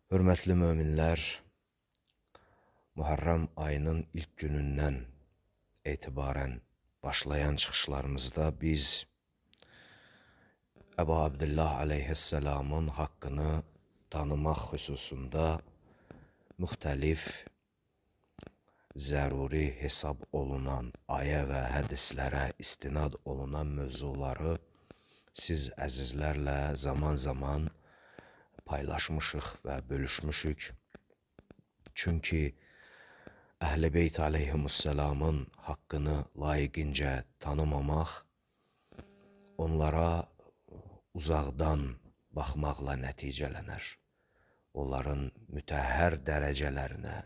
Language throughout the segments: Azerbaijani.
Hörmətli möminlər, Muharrem ayının ilk günündən etibarən başlayan çıxışlarımızda biz Əbu Abdullah aleyhisselamın haqqını tanımaq xüsusunda müxtəlif zəruri hesab olunan ayə və hədislərə istinad olunan mövzuları siz əzizlərlə zaman-zaman paylaşmışıq və bölüşmüşük. Çünki Əhl-i Beyt aleyhimussalamın haqqını layiqincə tanımamaq, onlara uzaqdan baxmaqla nəticələnər. Onların mütəhhər dərəcələrinə,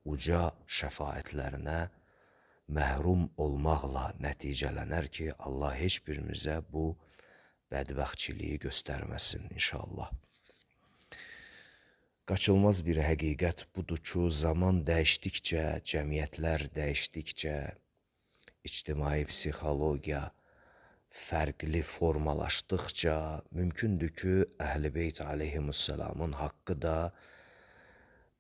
uca şəfaətlərinə məhrum olmaqla nəticələnər ki, Allah heç birimizə bu bədbəxtçiliyi göstərməsin inşallah. Qaçılmaz bir həqiqət budur ki, zaman dəyişdikcə, cəmiyyətlər dəyişdikcə, ictimai psixologiya fərqli formalaşdıqca mümkündür ki, Əhl-i Beyt aleyhimussalamın haqqı da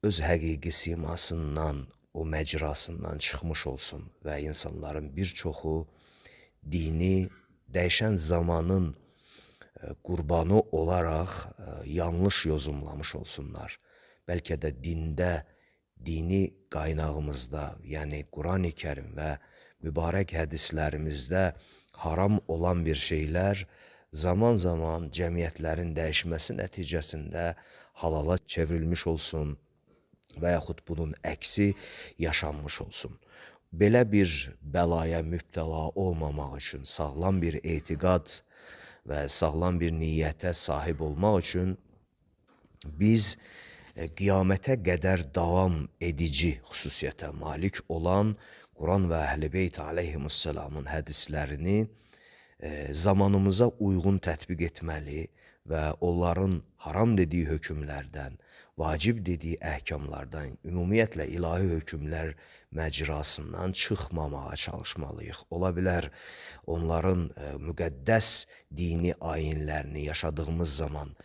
öz həqiqi simasından, o məcrasından çıxmış olsun və insanların bir çoxu dini dəyişən zamanın qurbanı olaraq yanlış yozumlamış olsunlar. Bəlkə də dində, dini qaynağımızda, yəni Quran-ı Kərim və mübarək hədislərimizdə haram olan bir şeylər zaman-zaman cəmiyyətlərin dəyişməsi nəticəsində halala çevrilmiş olsun və yaxud bunun əksi yaşanmış olsun. Belə bir bəlaya mübtəla olmamaq üçün sağlam bir etiqad və sağlam bir niyyətə sahib olmaq üçün biz qiyamətə qədər davam edici xüsusiyyətə malik olan Quran və Əhl-i Beyt aleyhimussalamın hədislərini zamanımıza uyğun tətbiq etməli və onların haram dediyi hökmlərdən, vacib dediyi əhkamlardan, ümumiyyətlə ilahi hökmlər məcrasından çıxmamağa çalışmalıyıq. Ola bilər onların müqəddəs dini ayinlərini yaşadığımız zaman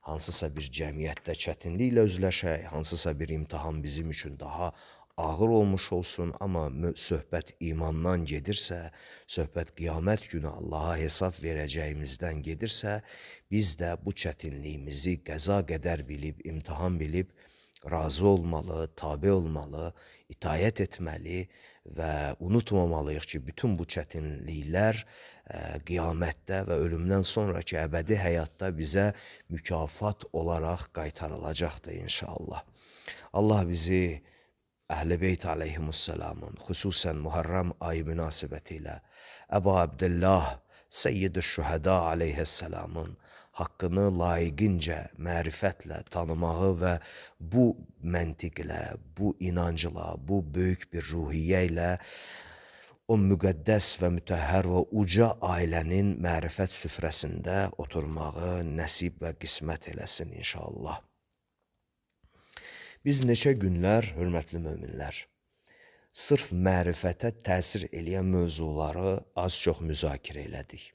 hansısa bir cəmiyyətdə çətinliklə üzləşək, hansısa bir imtahan bizim üçün daha ağır olmuş olsun, amma söhbət imandan gedirsə, söhbət qiyamət günü Allaha hesab verəcəyimizdən gedirsə, biz də bu çətinliyimizi qəza qədər bilib, imtahan bilib, razı olmalı, tabe olmalı, itayət etməli və unutmamalıyıq ki, bütün bu çətinliklər qiyamətdə və ölümdən sonraki əbədi həyatda bizə mükafat olaraq qaytarılacaqdır inşallah. Allah bizi Əhl-i Beyt aleyhimussalamın, xüsusən Muharrem ayı münasibəti ilə Əbu Abdullah Seyyid-i Şühəda aleyhissalamın haqqını layiqincə, mərifətlə tanımağı və bu məntiqlə, bu inancla, bu böyük bir ruhiyyə ilə o müqəddəs və mütəhhər və uca ailənin mərifət süfrəsində oturmağı nəsib və qismət eləsin inşallah. Biz neçə günlər, hörmətli möminlər, sırf mərifətə təsir eləyən mövzuları az-çox müzakirə elədik.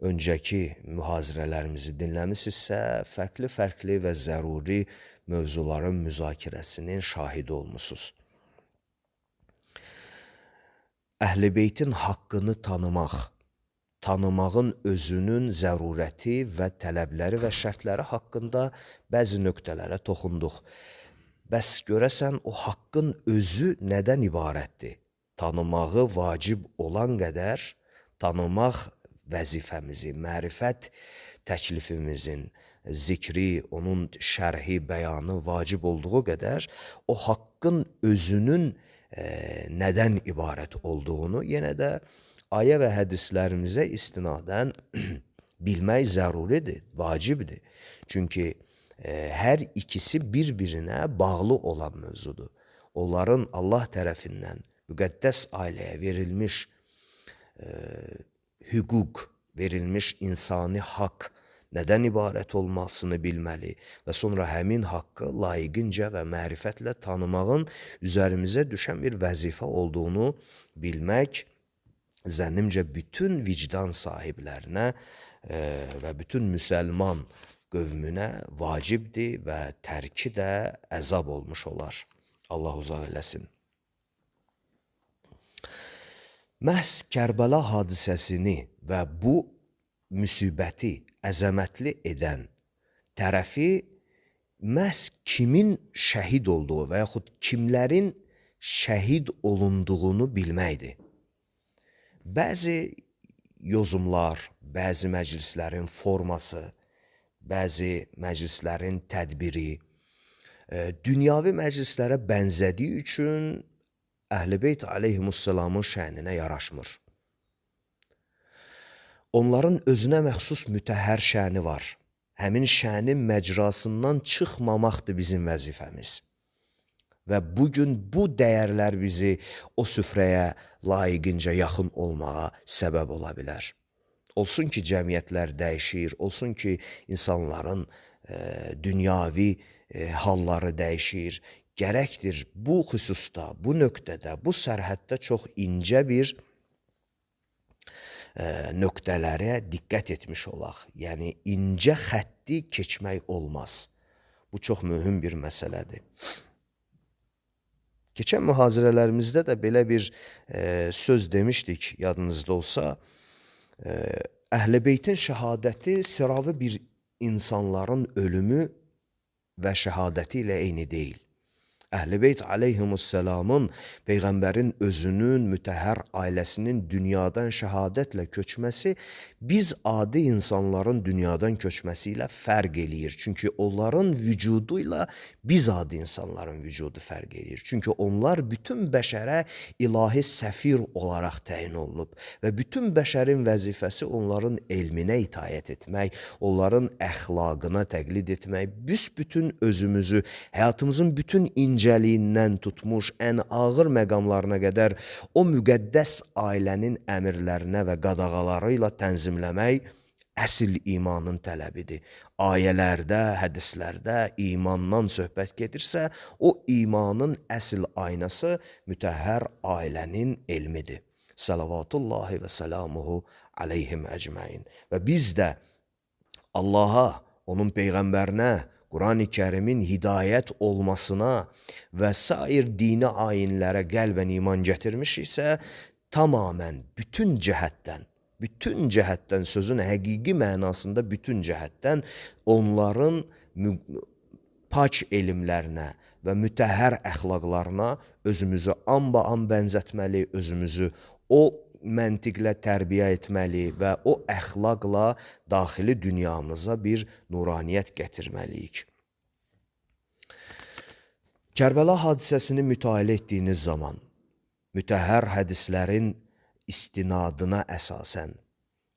Öncəki mühazirələrimizi dinləmişsinizsə, fərqli və zəruri mövzuların müzakirəsinin şahidi olmusunuz. Əhl-i Beytin haqqını tanımağın özünün zərurəti və tələbləri və şərtləri haqqında bəzi nöqtələrə toxunduq. Bəs görəsən o haqqın özü nədən ibarətdir? Tanımağı vacib olan qədər tanımaq vəzifəmizi, mərifət təklifimizin zikri, onun şərhi, bəyanı vacib olduğu qədər o haqqın özünün nədən ibarət olduğunu yenə də ayə və hədislərimizə istinadən bilmək zəruridir, vacibdir. Çünki hər ikisi bir-birinə bağlı olan mövzudur. Onların Allah tərəfindən müqəddəs ailəyə verilmiş hüquq, verilmiş insani haqq nədən ibarət olmasını bilməli və sonra həmin haqqı layiqincə və mərifətlə tanımağın üzərimizə düşən bir vəzifə olduğunu bilmək zənnimcə bütün vicdan sahiblərinə və bütün müsəlman qövmünə vacibdir və tərki də əzab olmuş olar. Allah uzaq eləsin. Məhz Kərbəla hadisəsini və bu müsibəti əzəmətli edən tərəfi məhz kimin şəhid olduğu və yaxud kimlərin şəhid olunduğunu bilməkdir. Bəzi yozumlar, bəzi məclislərin forması, bəzi məclislərin tədbiri dünyavi məclislərə bənzədiyi üçün Əhl-i Beyt aleyhimussalamın şəninə yaraşmır. Onların özünə məxsus mütəhhər şəni var. Həmin şənin məcrasından çıxmamaqdır bizim vəzifəmiz. Və bugün bu dəyərlər bizi o süfrəyə layiqincə yaxın olmağa səbəb ola bilər. Olsun ki, cəmiyyətlər dəyişir, olsun ki, insanların dünyavi halları dəyişir. Gərəkdir bu xüsusda, bu nöqtədə, bu sərhəddə çox incə bir nöqtələrə diqqət etmiş olaq. Yəni, incə xətti keçmək olmaz. Bu çox mühüm bir məsələdir. Keçən mühazirələrimizdə də belə bir söz demişdik, yadınızda olsa, Əhl-i Beytin şəhadəti sıravi bir insanların ölümü və şəhadəti ilə eyni deyil. Əhl-i Beyt aleyhimussalamın Peyğəmbərin özünün, mütəhhər ailəsinin dünyadan şəhadətlə köçməsi biz adi insanların dünyadan köçməsi ilə fərq eləyir. Çünki onların vücudu ilə biz adi insanların vücudu fərq eləyir. Çünki onlar bütün bəşərə ilahi səfir olaraq təyin olunub və bütün bəşərin vəzifəsi onların elminə itayət etmək, onların əxlaqına təqlid etmək, büsbütün özümüzü, həyatımızın bütün incəliyindən tutmuş, ən ağır məqamlarına qədər o müqəddəs ailənin əmirlərinə və qadağaları ilə tənzimləmək əsl imanın tələbidir. Ayələrdə, hədislərdə imandan söhbət gedirsə, o imanın əsl aynası mütəhhər ailənin elmidir. Salavatullahi və salamuhu aleyhim əcməin. Və biz də Allaha, onun Peyğəmbərinə, Qurani Kərimin hidayət olmasına və sair dini ayinlərə qəlbən iman gətirmişiksə, tamamən bütün cəhətdən sözün həqiqi mənasında bütün cəhətdən onların pak elmlərinə və mütəhhər əxlaqlarına özümüzü amba-an bənzətməli, özümüzü o məntiqlə tərbiyə etməli və o əxlaqla daxili dünyamıza bir nuraniyyət gətirməliyik. Kərbəla hadisəsini mütaliə etdiyiniz zaman mütəhhər hədislərin istinadına əsasən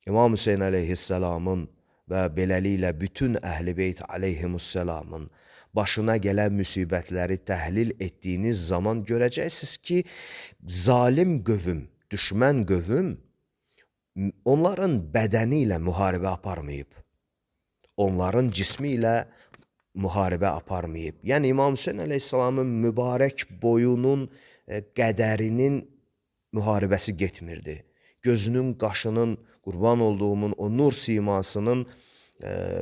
İmam Hüseyin əleyhissalamın və beləliklə bütün Əhl-i Beyt əleyhimussalamın başına gələn müsibətləri təhlil etdiyiniz zaman görəcəksiniz ki, zalim qövm, düşmən qövm onların bədəni ilə müharibə aparmayıb, onların cismi ilə müharibə aparmayıb. Yəni İmam Hüseyin əleyhissalamın mübarək boyunun qədərinin müharibəsi getmirdi. Gözünün, qaşının, qurban olduğumun o nur simasının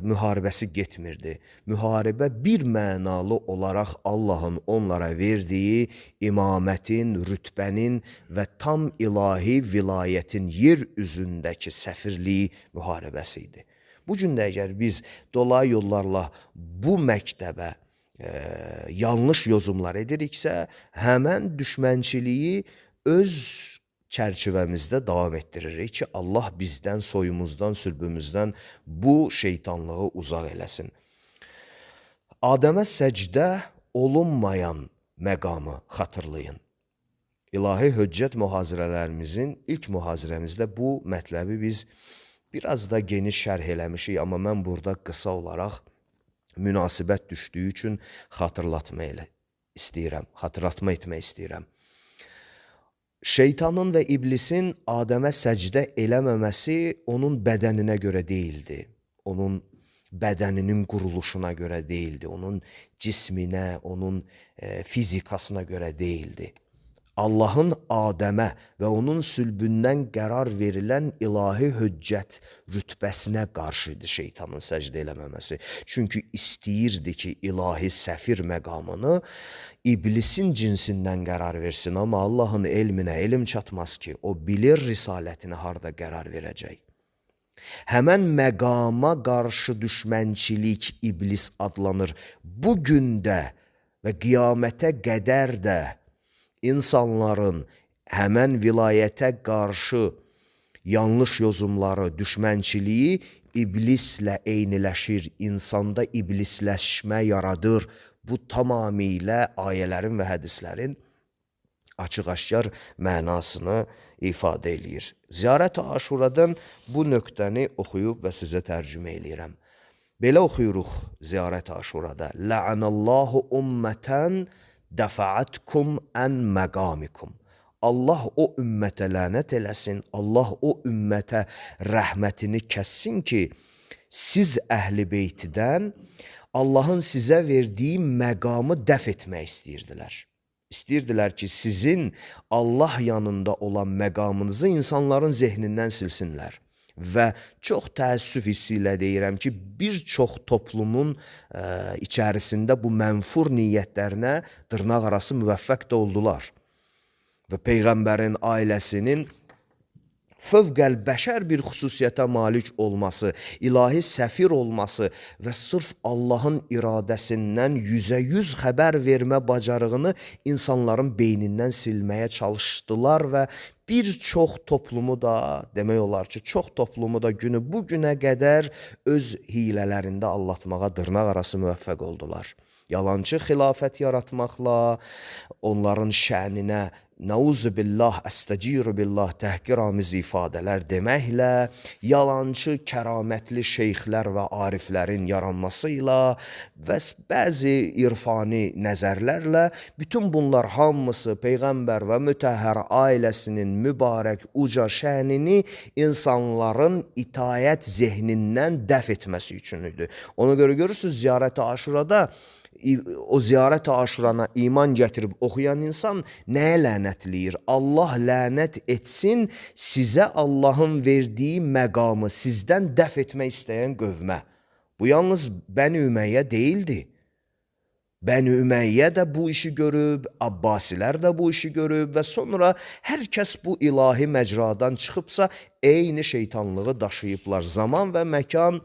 müharibəsi getmirdi. Müharibə bir mənalı olaraq Allahın onlara verdiyi imamətin, rütbənin və tam ilahi vilayətin yer üzündəki səfirliyi müharibəsi idi. Bu gün də əgər biz dolayı yollarla bu məktəbə yanlış yozumlar ediriksə, həmən düşmənçiliyi öz çərçivəmizdə davam etdiririk ki, Allah bizdən, soyumuzdan, sülbümüzdən bu şeytanlığı uzaq eləsin. Adəmə səcdə olunmayan məqamı xatırlayın. İlahi höccət mühazirələrimizin ilk mühazirəmizdə bu mətləbi biz biraz da geniş şərh eləmişik, amma mən burada qısa olaraq münasibət düşdüyü üçün xatırlatma etmək istəyirəm. Şeytanın və iblisin Adəmə səcdə eləməməsi onun bədəninə görə deyildi. Onun bədəninin quruluşuna görə deyildi. Onun cisminə, onun fizikasına görə deyildi. Allahın Adəmə və onun sülbündən qərar verilən ilahi höccət rütbəsinə qarşı idi şeytanın səcdə eləməməsi. Çünki istəyirdi ki, ilahi səfir məqamını iblisin cinsindən qərar versin, amma Allahın elminə elm çatmaz ki, o bilir risalətini harda qərar verəcək. Həmən məqama qarşı düşmənçilik iblis adlanır. Bu gün də və qiyamətə qədər də insanların həmən vilayətə qarşı yanlış yozumları, düşmənçiliyi iblislə eyniləşir, insanda iblisləşmə yaradır. Bu tamamilə ayələrin və hədislərin açıq-aşkar mənasını ifadə eləyir. Ziyarət-i Aşuradan bu nöqtəni oxuyub və sizə tərcümə eləyirəm. Belə oxuyuruq Ziyarət-i Aşurada. La'anallahu ummətən dəfa'atkum ən məqamikum. Allah o ümmətə lənət eləsin, Allah o ümmətə rəhmətini kəssin ki, siz əhl-i beytidən Allahın sizə verdiyi məqamı dəf etmək istəyirdilər. İstəyirdilər ki, sizin Allah yanında olan məqamınızı insanların zehnindən silsinlər. Və çox təəssüf hissi ilə deyirəm ki, bir çox toplumun içərisində bu mənfur niyyətlərinə dırnaq arası müvəffəq də oldular. Və Peyğəmbərin ailəsinin fövqəlbəşər bir xüsusiyyətə malik olması, ilahi səfir olması və sırf Allahın iradəsindən 100% xəbər vermə bacarığını insanların beynindən silməyə çalışdılar və bir çox toplumu da, demək olar ki, çox toplumu da günü bu günə qədər öz hilələrində allatmağa dırnaq arası müvəffəq oldular. Yalancı xilafət yaratmaqla, onların şəninə Nauzu billah, əstəciru billah təhqiramiz ifadələr deməklə, yalancı, kəramətli şeyxlər və ariflərin yaranmasıyla və bəzi irfani nəzərlərlə bütün bunlar hamısı Peyğəmbər və mütəhhər ailəsinin mübarək uca şənini insanların itayət zehnindən dəf etməsi üçün idi. Ona görə görürsünüz, Ziyarət-i Aşurada o Ziyarət-i Aşurana iman gətirib oxuyan insan nəyə lənətləyir? Allah lənət etsin sizə Allahın verdiyi məqamı sizdən dəf etmək istəyən qövmə. Bu yalnız Bəni Ümeyyə deyildi. Bəni Ümeyyə də bu işi görüb, Abbasilər də bu işi görüb və sonra hər kəs bu ilahi məcradan çıxıbsa eyni şeytanlığı daşıyıblar. Zaman və məkan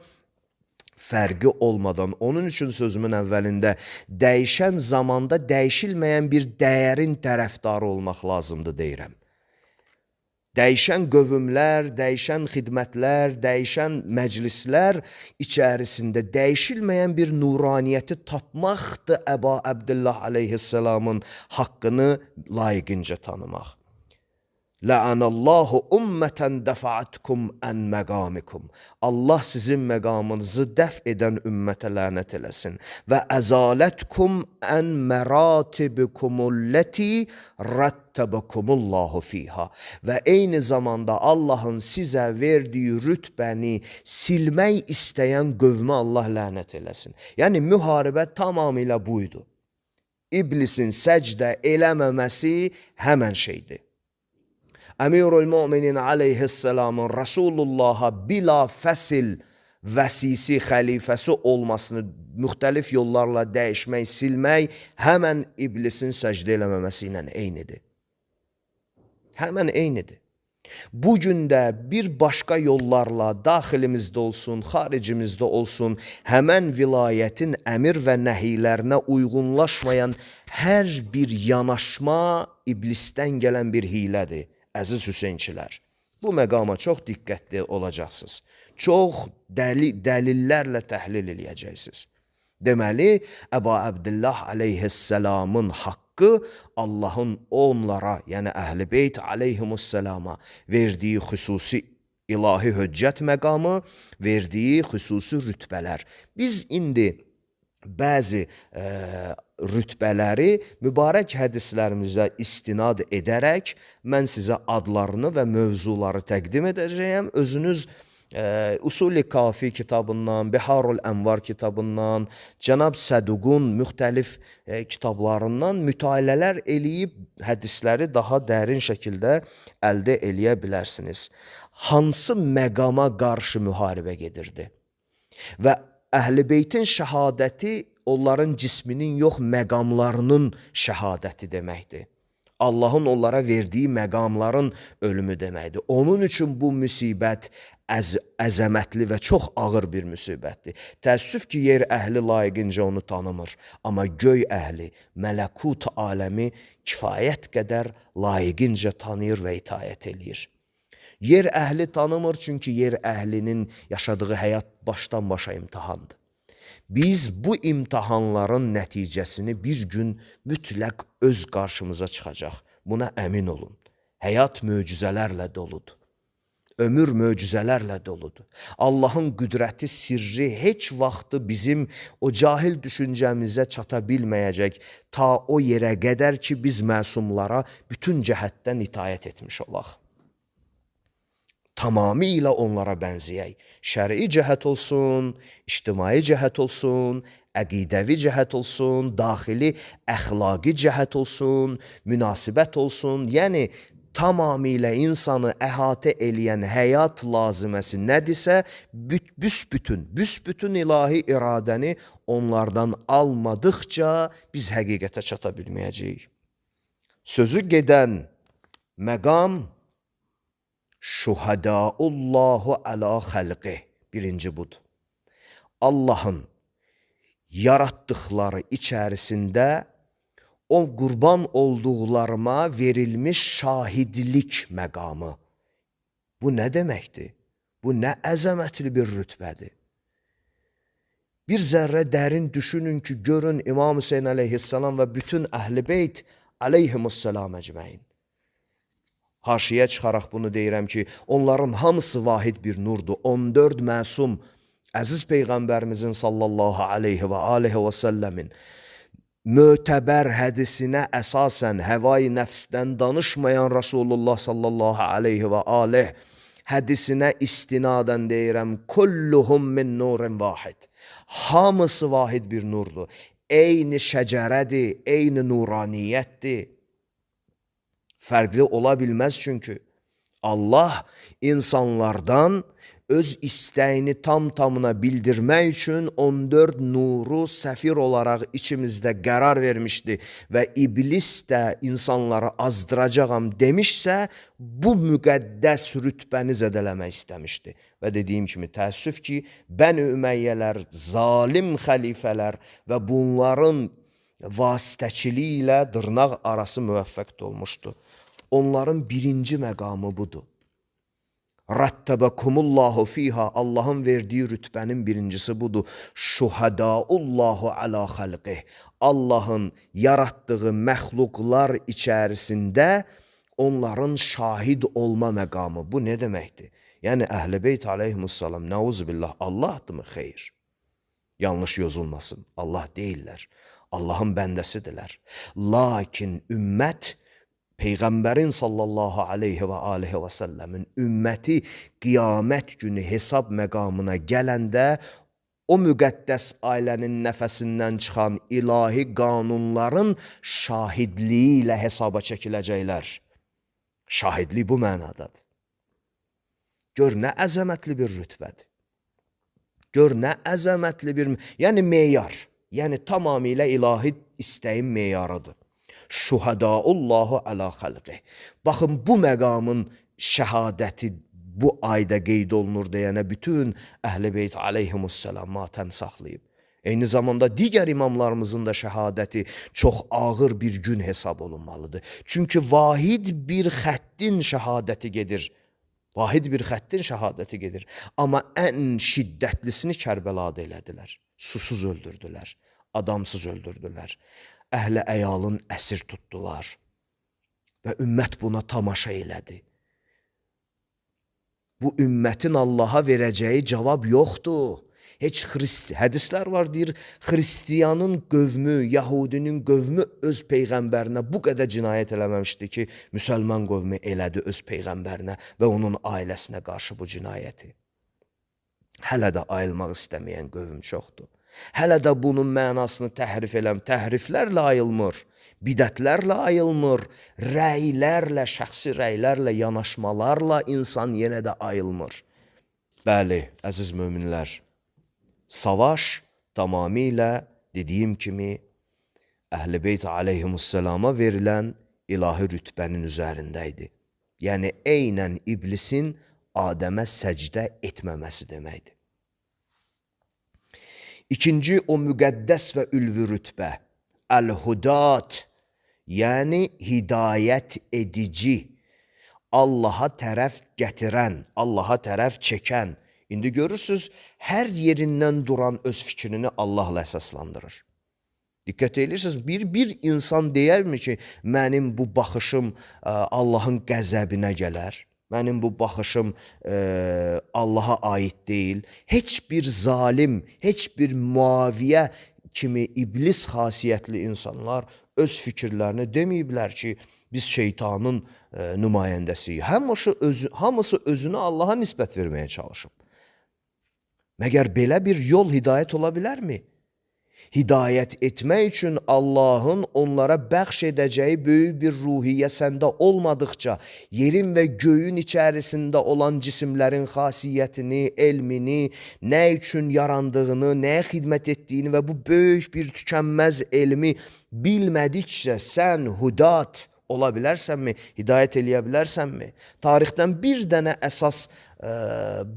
fərqi olmadan, onun üçün sözümün əvvəlində dəyişən zamanda dəyişilməyən bir dəyərin tərəfdarı olmaq lazımdır deyirəm. Dəyişən qövmlər, dəyişən xidmətlər, dəyişən məclislər içərisində dəyişilməyən bir nuraniyyəti tapmaqdır Əba Əbdillah aleyhisselamın haqqını layiqincə tanımaq. La'anallahu ummətən dəfa'atkum ən məqamikum. Allah sizin məqamınızı dəf edən ümmətə lənət eləsin. Və əzalətkum ən məratibkumulləti rəttəbəkumullahu fiha. Və eyni zamanda Allahın sizə verdiyi rütbəni silmək istəyən qövmə Allah lənət eləsin. Yəni müharibə tamamilə buydu. İblisin səcdə eləməməsi həmən şeydir. Əmirul Müminin aleyhisselamın Rasulullah'a bila fəsil vəsisi, xəlifəsi olmasını müxtəlif yollarla dəyişmək, silmək həmən iblisin səcdə eləməməsi ilə eynidir. Həmən eynidir. Bugün də bir başqa yollarla daxilimizdə olsun, xaricimizdə olsun, həmən vilayətin əmir və nəhiylərinə uyğunlaşmayan hər bir yanaşma iblisdən gələn bir hilədir. Əziz Hüseynçilər, bu məqama çox diqqətli olacaqsınız. Çox dəlillərlə təhlil eləyəcəksiniz. Deməli, Əba Əbdillah aleyhisselamın haqqı Allahın onlara, yəni Əhl-i Beyt aleyhimusselama verdiyi xüsusi ilahi höccət məqamı, verdiyi xüsusi rütbələr. Biz indi bəzi rütbələri mübarək hədislərimizə istinad edərək mən sizə adlarını və mövzuları təqdim edəcəyəm. Özünüz Usul-i Kafi kitabından, Biharul Ənvar kitabından, Cənab Səduqun müxtəlif kitablarından mütaliələr eləyib hədisləri daha dərin şəkildə əldə eləyə bilərsiniz. Hansı məqama qarşı müharibə gedirdi? Və Əhl-i Beytin şəhadəti onların cisminin yox, məqamlarının şəhadəti deməkdir. Allahın onlara verdiyi məqamların ölümü deməkdir. Onun üçün bu müsibət əzəmətli və çox ağır bir müsibətdir. Təəssüf ki, yer əhli layiqincə onu tanımır. Amma göy əhli, mələkut aləmi kifayət qədər layiqincə tanıyır və itaət eləyir. Yer əhli tanımır, çünki yer əhlinin yaşadığı həyat başdan başa imtihandır. Biz bu imtihanların nəticəsini bir gün mütləq öz qarşımıza çıxacaq. Buna əmin olun. Həyat möcüzələrlə doludur. Ömür möcüzələrlə doludur. Allahın qüdrəti, sirri heç vaxtı bizim o cahil düşüncəmizə çata bilməyəcək ta o yerə qədər ki, biz məsumlara bütün cəhətdən itaət etmiş olaq. Tamamilə onlara bənzəyək. Şəri cəhət olsun, ictimai cəhət olsun, əqidəvi cəhət olsun, daxili əxlaqi cəhət olsun, münasibət olsun. Yəni, tamamilə insanı əhatə eləyən həyat laziməsi nədirsə, büsbütün ilahi iradəni onlardan almadıqca biz həqiqətə çata bilməyəcəyik. Sözü gedən məqam şuhadaullahu əla xəlqi. Birinci budur. Allahın yaratdıqları içərisində o qurban olduqlarıma verilmiş şahidlik məqamı. Bu nə deməkdir? Bu nə əzəmətli bir rütbədir. Bir zərrə dərin düşünün ki, görün İmam Hüseyin əleyhissalam və bütün Əhl-i Beyt əleyhimussalam əcməin. Haşiyə çıxaraq bunu deyirəm ki, onların hamısı vahid bir nurdur. 14 məsum, əziz Peyğəmbərimizin sallallahu aleyhi və aleyhi və səlləmin mötəbər hədisinə əsasən həvai nəfsdən danışmayan Rasulullah sallallahu aleyhi və aleyh hədisinə istinadən deyirəm, kulluhum min nurin vahid. Hamısı vahid bir nurdur. Eyni şəcərədir, eyni nuraniyyətdir. Fərqli ola bilməz çünki Allah insanlardan öz istəyini tam-tamına bildirmək üçün 14 nuru səfir olaraq içimizdə qərar vermişdi və iblis də insanları azdıracağam demişsə, bu müqəddəs rütbəni zədələmək istəmişdi. Və dediyim kimi, təəssüf ki, Bəni Üməyyələr, zalim xəlifələr və bunların vasitəçiliyi ilə dırnaq arası müvəffəq olmuşdu. Onların birinci məqamı budur. Rattabəkumullahu fiha, Allahın verdiyi rütbənin birincisi budur. Şuhadaullahu ala xalqih, Allahın yaratdığı məxluqlar içərisində onların şahid olma məqamı. Bu nə deməkdir? Yəni Əhl-i Beyt aleyhimussalam, nəuzubillah, Allahdırmı? Xeyr. Yanlış yozulmasın. Allah deyirlər. Allahın bəndəsidirlər. Lakin ümmət, Peyğəmbərin sallallahu aleyhi və aleyhi və səlləmin ümməti qiyamət günü hesab məqamına gələndə o müqəddəs ailənin nəfəsindən çıxan ilahi qanunların şahidliyi ilə hesaba çəkiləcəklər. Şahidlik bu mənadadır. Gör nə əzəmətli bir rütbədir. Gör nə əzəmətli bir, yəni meyar, yəni tamamilə ilahi istəyin meyarıdır. Şuhadaullahu ala xalqih. Baxın, bu məqamın şəhadəti bu ayda qeyd olunur deyənə bütün Əhl-i Beyt aleyhimussalam matəm saxlayıb. Eyni zamanda digər imamlarımızın da şəhadəti çox ağır bir gün hesab olunmalıdır. Çünki vahid bir xəttin şəhadəti gedir. Vahid bir xəttin şəhadəti gedir. Amma ən şiddətlisini Kərbəlada elədilər. Susuz öldürdülər, adamsız öldürdülər. Əhli əyalın əsir tutdular və ümmət buna tamaşa elədi. Bu ümmətin Allaha verəcəyi cavab yoxdur. Heç hədislər var, deyir, Xristiyanın qövmü, Yahudinin qövmü öz Peyğəmbərinə bu qədər cinayət eləməmişdi ki, müsəlman qövmü elədi öz Peyğəmbərinə və onun ailəsinə qarşı bu cinayəti. Hələ də ayılmaq istəməyən qövm çoxdur. Hələ də bunun mənasını təhriflərlə ayılmır, bidətlərlə ayılmır, rəylərlə, şəxsi rəylərlə, yanaşmalarla insan yenə də ayılmır. Bəli, əziz möminlər, savaş tamamilə dediyim kimi Əhl-i Beyt aleyhimussalama verilən ilahi rütbənin üzərində idi. Yəni, eynən iblisin Adəmə səcdə etməməsi deməkdir. İkinci, o müqəddəs və ülvi rütbə, əl-hudat, yəni hidayət edici, Allaha tərəf gətirən, Allaha tərəf çəkən. İndi görürsünüz, hər yerindən duran öz fikrini Allahla əsaslandırır. Diqqət edirsiniz, bir insan deyərmi ki, mənim bu baxışım Allahın qəzəbinə gələr? Mənim bu baxışım Allaha aid deyil. Heç bir zalim, heç bir muaviyə kimi iblis xasiyyətli insanlar öz fikirlərini deməyiblər ki, biz şeytanın nümayəndəsiyik. Hamısı özünü Allaha nisbət verməyə çalışıb. Məgər belə bir yol hidayət ola bilərmi? Hidayət etmək üçün Allahın onlara bəxş edəcəyi böyük bir ruhiyyə səndə olmadıqca, yerin və göyün içərisində olan cisimlərin xasiyyətini, elmini, nə üçün yarandığını, nəyə xidmət etdiyini və bu böyük bir tükənməz elmi bilmədikcə sən hudat ola bilərsənmi, hidayət eləyə bilərsənmi? Tarixdən bir dənə əsas,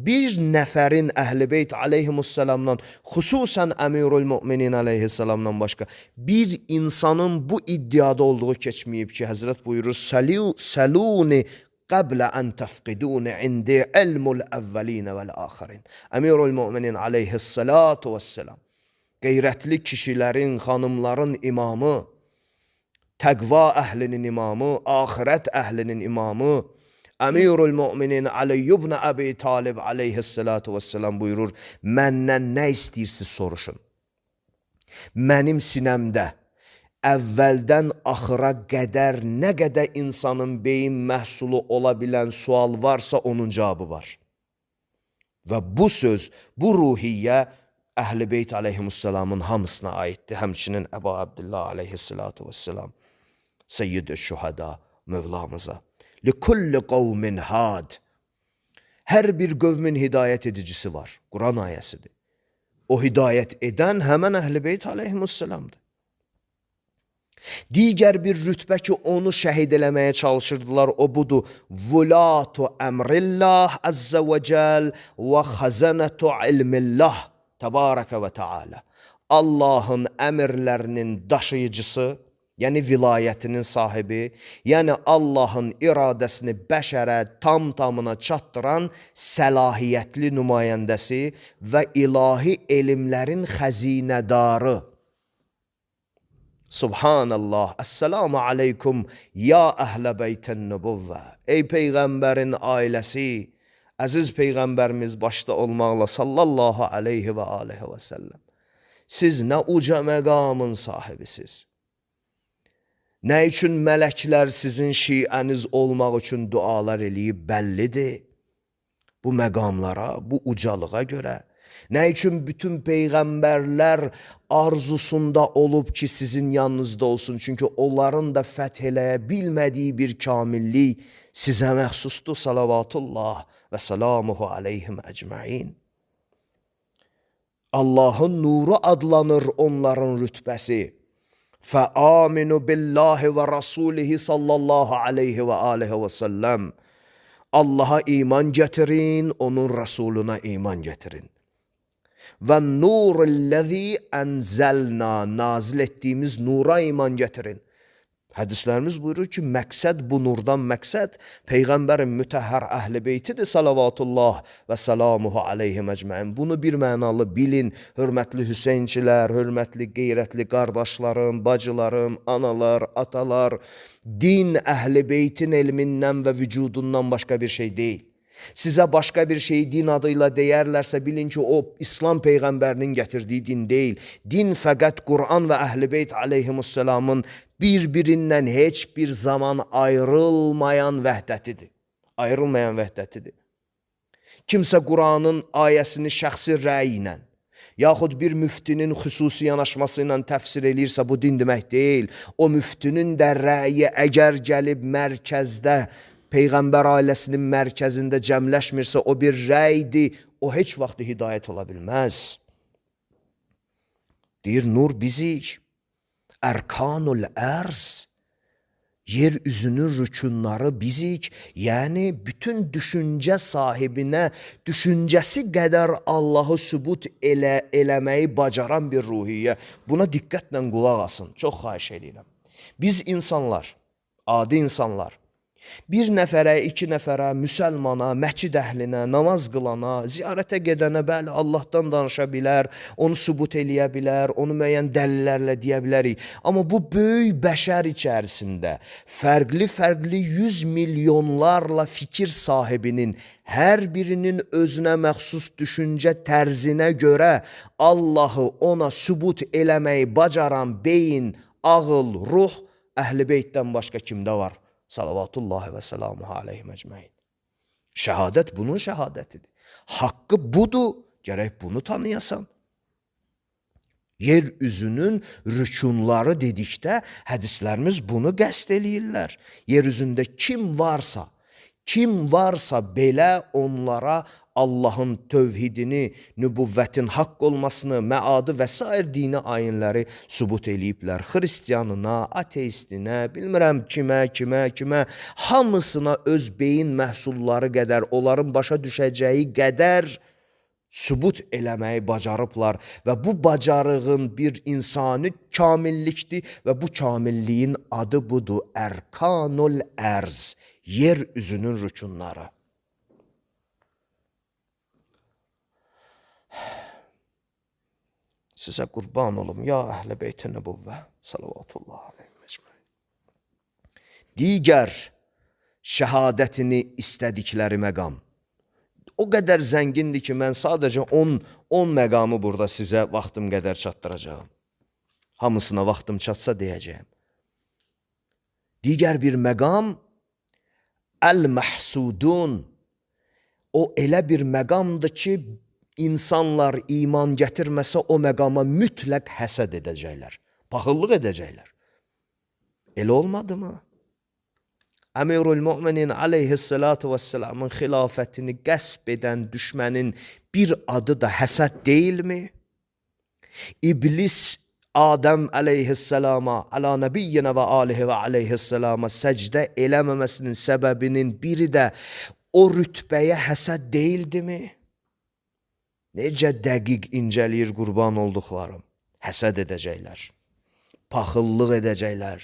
bir nəfərin Əhl-i Beyt aleyhimussalamdan, xüsusən Əmirul Müminin aleyhissalamdan başqa bir insanın bu iddiada olduğu keçməyib ki, Həzrət buyurur, Səluni qəblə ən təfqiduni indi ilmul əvvəlinə vəl-əxirin. Əmirul Müminin aleyhissalatu vəssalam, qeyrətli kişilərin, xanımların imamı, təqva əhlinin imamı, axirət əhlinin imamı, Əmirul Müminin Ali ibn Əbi Talib aleyhissalatu vesselam buyurur, məndən nə istəyirsiniz soruşun. Mənim sinəmdə əvvəldən axıra qədər nə qədər insanın beyin məhsulu ola bilən sual varsa onun cavabı var. Və bu söz, bu ruhiyyə Əhl-i Beyt aleyhimussalamın hamısına aiddir. Həmçinin Əbu Abdullah aleyhissalatu vesselam, Seyyid-i Şühəda Mövlamıza. لِكُلِّ قَوْمٍ had. Hər bir qövmin hidayət edicisi var. Quran ayəsidir. O hidayət edən həmən Əhl-i Beyt aleyhimussalamdır. Digər bir rütbə ki, onu şəhid eləməyə çalışırdılar, o budur. Vulatu əmrillah əzzə və cəl və xəzənətu ilmillah təbarəkə və teala. Allahın əmrlərinin daşıyıcısı, yəni vilayətinin sahibi, yəni Allahın iradəsini bəşərə tam-tamına çatdıran səlahiyyətli nümayəndəsi və ilahi elmlərin xəzinədarı. Subhanallah, əssəlamu aleykum, ya əhlə beytən nübüvvə. Ey Peyğəmbərin ailəsi, əziz Peyğəmbərimiz başda olmaqla sallallahu aleyhi və aleyhi və səlləm. Siz nə uca məqamın sahibisiz. Nə üçün mələklər sizin şiəniz olmaq üçün dualar eləyib bəllidir. Bu məqamlara, bu ucalığa görə. Nə üçün bütün Peyğəmbərlər arzusunda olub ki, sizin yanınızda olsun. Çünki onların da fəth eləyə bilmədiyi bir kamillik sizə məxsusdur. Salavatullah və salamuhu aleyhim əcməin. Allahın nuru adlanır onların rütbəsi. فَآمِنُوا بِاللّٰهِ وَرَسُولِهِ sallallahu aleyhi və aleyhi və səlləm. Allaha iman gətirin, onun Rasuluna iman gətirin. Və nurillezî enzəlna, nazil etdiyimiz nura iman gətirin. Hədislərimiz buyurur ki, məqsəd bu nurdan məqsəd Peyğəmbərin mütəhhər Əhl-i Beytidir salavatullah və salamuhu aleyhim əcməin. Bunu bir mənalı bilin, hörmətli Hüseynçilər, hörmətli qeyrətli qardaşlarım, bacılarım, analar, atalar. Din Əhl-i Beytin elmindən və vücudundan başqa bir şey deyil. Sizə başqa bir şeyi din adıyla deyərlərsə, bilin ki, o İslam Peyğəmbərinin gətirdiyi din deyil. Din fəqət Quran və Əhl-i Beyt aleyhimussalamın bir-birindən heç bir zaman ayrılmayan vəhdətidir. Ayrılmayan vəhdətidir. Kimsə Quranın ayəsini şəxsi rəyi ilə, yaxud bir müftinin xüsusi yanaşması ilə təfsir eləyirsə, bu din demək deyil. O müftinin də rəyi əgər gəlib mərkəzdə, Peyğəmbər ailəsinin mərkəzində cəmləşmirsə, o bir rəydir, o heç vaxt hidayət ola bilməz. Deyir, nur bizik, ərkanul ərz, yer üzünün rükunları bizik, yəni bütün düşüncə sahibinə düşüncəsi qədər Allahı sübut eləməyi bacaran bir ruhiyyə. Buna diqqətlə qulaq asın, çox xahiş edirəm. Biz insanlar, adi insanlar, bir nəfərə, iki nəfərə, müsəlmana, məscid əhlinə, namaz qılana, ziyarətə gedənə, bəli, Allahdan danışa bilər, onu sübut eləyə bilər, onu müəyyən dəlillərlə deyə bilərik. Amma bu böyük bəşər içərisində fərqli 100 milyonlarla fikir sahibinin hər birinin özünə məxsus düşüncə tərzinə görə Allahı ona sübut eləməyi bacaran beyin, ağıl, ruh Əhl-i Beytdən başqa kimdə var? Salavatullahi və selamuhu aleyhim əcməin. Şəhadət bunun şəhadətidir. Haqqı budur, gərək bunu tanıyasan. Yer üzünün rükunları dedikdə hədislərimiz bunu qəsd eləyirlər. Yer üzündə kim varsa belə onlara Allahın tövhidini, nübüvvətin haqq olmasını, məadı və s. dini ayinləri sübut eləyiblər. Xristiyanına, ateistinə, bilmirəm kimə, hamısına öz beyin məhsulları qədər, onların başa düşəcəyi qədər sübut eləməyi bacarıblar və bu bacarığın bir insani kamillikdir və bu kamilliyin adı budur, ərkanul ərz, yer üzünün rükunları. Sizə qurban olum, ya Əhl-i Beyt-i Nübüvvə, salavatullahi aleyhim ecmaîn. Digər şəhadətini istədikləri məqam o qədər zəngindir ki, mən sadəcə 10 məqamı burada sizə vaxtım qədər çatdıracağım. Hamısına vaxtım çatsa deyəcəyim. Digər bir məqam, əl-məhsudun, o elə bir məqamdır ki, İnsanlar iman gətirməsə o məqama mütləq həsəd edəcəklər, paxıllıq edəcəklər. Elə olmadı mı? Əmirul Müminin aleyhissalatu vesselamın xilafətini qəsb edən düşmənin bir adı da həsəd deyilmi? İblis Adəm aleyhissalama, ala nəbiyyinə və alihi və aleyhissalama səcdə eləməməsinin səbəbinin biri də o rütbəyə həsəd deyildimi? Necə dəqiq incəliyir qurban olduqlarım. Həsəd edəcəklər, paxıllıq edəcəklər,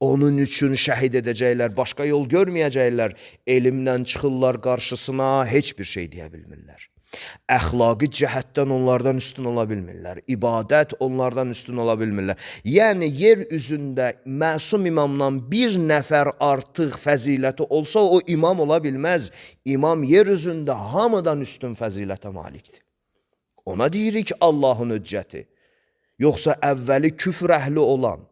onun üçün şəhid edəcəklər, başqa yol görməyəcəklər, elmlə çıxırlar qarşısına, heç bir şey deyə bilmirlər. Əxlaqi cəhətdən onlardan üstün ola bilmirlər, ibadət onlardan üstün ola bilmirlər. Yəni, yer üzündə məsum imamdan bir nəfər artıq fəziləti olsa, o imam ola bilməz. İmam yer üzündə hamıdan üstün fəzilətə malikdir. Ona deyirik Allahın hüccəti. Yoxsa əvvəli küfr əhli olan,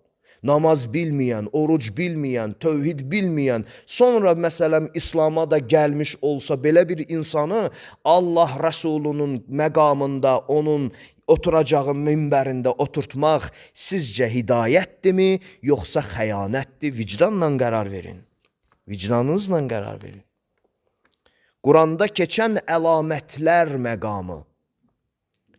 namaz bilməyən, oruc bilməyən, tövhid bilməyən, sonra məsələn İslama da gəlmiş olsa belə bir insanı Allah Rəsulunun məqamında, onun oturacağı minbərində oturtmaq sizcə hidayətdirmi, yoxsa xəyanətdir? Vicdanla qərar verin. Vicdanınızla qərar verin. Quranda keçən əlamətlər məqamı,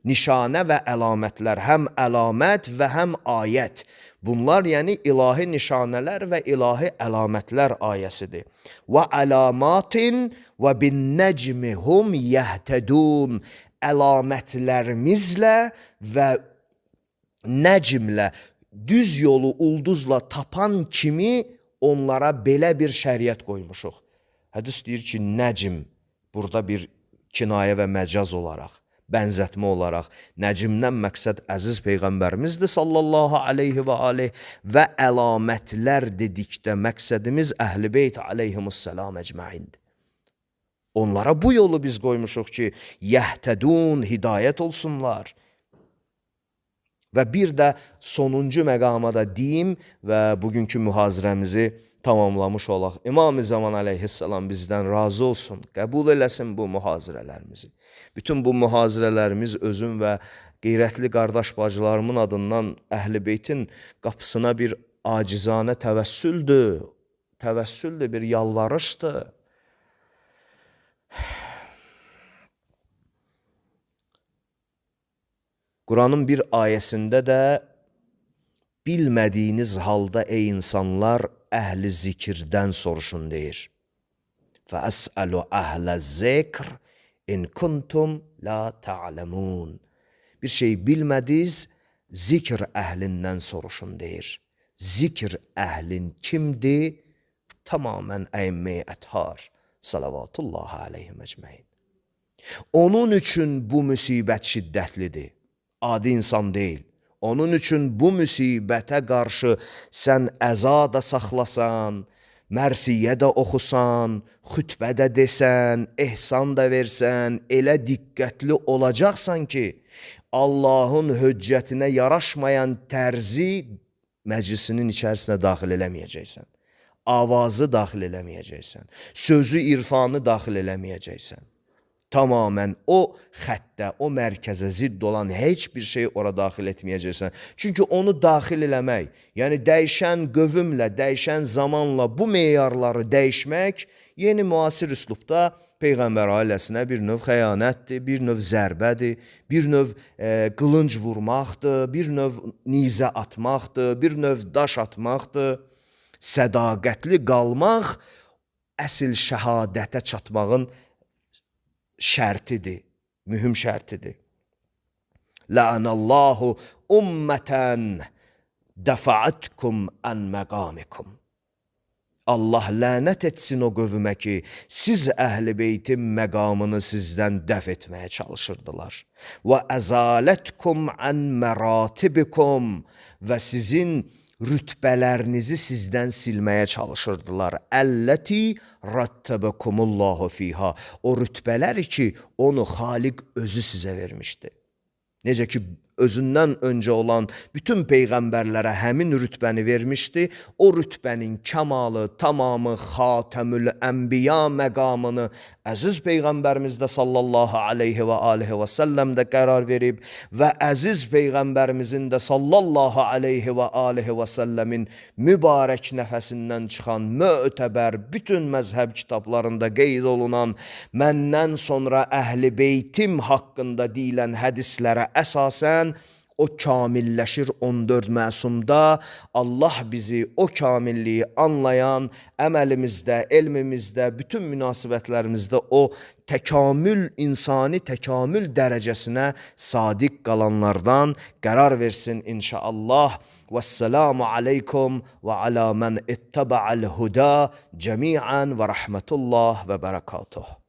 nişanə və əlamətlər, həm əlamət və həm ayət. Bunlar yəni ilahi nişanələr və ilahi əlamətlər ayəsidir. Və əlamatin və bin nəcmi hum yəhtədun. Əlamətlərimizlə və nəcmlə, düz yolu ulduzla tapan kimi onlara belə bir şəriət qoymuşuq. Hədis deyir ki, nəcm, burada bir kinayə və məcaz olaraq, bənzətmə olaraq, nəcmdən məqsəd əziz Peyğəmbərimizdir sallallahu aleyhi və aleyh və əlamətlər dedikdə məqsədimiz Əhl-i Beyt aleyhimussalam əcməindir. Onlara bu yolu biz qoymuşuq ki, yəhtədun, hidayət olsunlar. Və bir də sonuncu məqama da deyim və bugünkü mühazirəmizi tamamlamış olaq. İmam-ı Zaman əleyhissalam bizdən razı olsun, qəbul eləsin bu mühazirələrimizi. Bütün bu mühazirələrimiz özüm və qeyrətli qardaş bacılarımın adından Əhl-i Beytin qapısına bir acizanə təvəssüldür, bir yalvarışdır. Quranın bir ayəsində də bilmədiyiniz halda ey insanlar əhli zikirdən soruşun deyir. فَأَسْأَلُ أَهْلَ الذِّكْرِ إِنْ كُنْتُمْ لَا تَعْلَمُونَ. Bir şey bilmədiniz, zikr əhlindən soruşun deyir. Zikr əhlin kimdir? Tamamən əimmə-i əthar. Salavatullahi aleyhim əcməin. Onun üçün bu müsibət şiddətlidir. Adi insan deyil. Onun üçün bu müsibətə qarşı sən əza da saxlasan, mərsiyə də oxusan, xütbə də desən, ehsan da versən, elə diqqətli olacaqsan ki, Allahın höccətinə yaraşmayan tərzi məclisinin içərisinə daxil eləməyəcəksən. Avazı daxil eləməyəcəksən. Sözü, irfanı daxil eləməyəcəksən. Tamamən o xəttə, o mərkəzə zidd olan heç bir şey ora daxil etməyəcəksən. Çünki onu daxil eləmək, yəni dəyişən qövümlə, dəyişən zamanla bu meyarları dəyişmək yeni müasir üslubda Peyğəmbər ailəsinə bir növ xəyanətdir, bir növ zərbədir, bir növ qılınc vurmaqdır, bir növ nizə atmaqdır, bir növ daş atmaqdır. Sədaqətli qalmaq əsl şəhadətə çatmağın şərtidir, mühüm şərtidir. La'anallahu ummətən dəfa'atkum ən məqamikum. Allah lənət etsin o qövmə ki, siz Əhl-i Beytin məqamını sizdən dəf etməyə çalışırdılar. Və əzalətkum ən məratibikum və sizin rütbələrinizi sizdən silməyə çalışırdılar. Əlləti rattabəkumullahu fiha. O rütbələr ki, onu Xaliq özü sizə vermişdi. Necə ki, özündən öncə olan bütün peyğəmbərlərə həmin rütbəni vermişdi. O rütbənin kəmalı, tamamı, xatəmül ənbiya məqamını əziz peyğəmbərimiz də sallallahu aleyhi və aleyhi və səlləm də qərar verib və əziz peyğəmbərimizin də sallallahu aleyhi və aleyhi və səlləmin mübarək nəfəsindən çıxan mötəbər bütün məzhəb kitablarında qeyd olunan məndən sonra Əhl-i Beytim haqqında deyilən hədislərə əsasən o kamilləşir 14 məsumda. Allah bizi o kamilliyi anlayan əməlimizdə, elmimizdə, bütün münasibətlərimizdə o təkamül, insani təkamül dərəcəsinə sadiq qalanlardan qərar versin inşallah. Vəsselamu aleykum və alə mən ittaba'al huda cəmiən və rəhmətullah və bərəkatuh.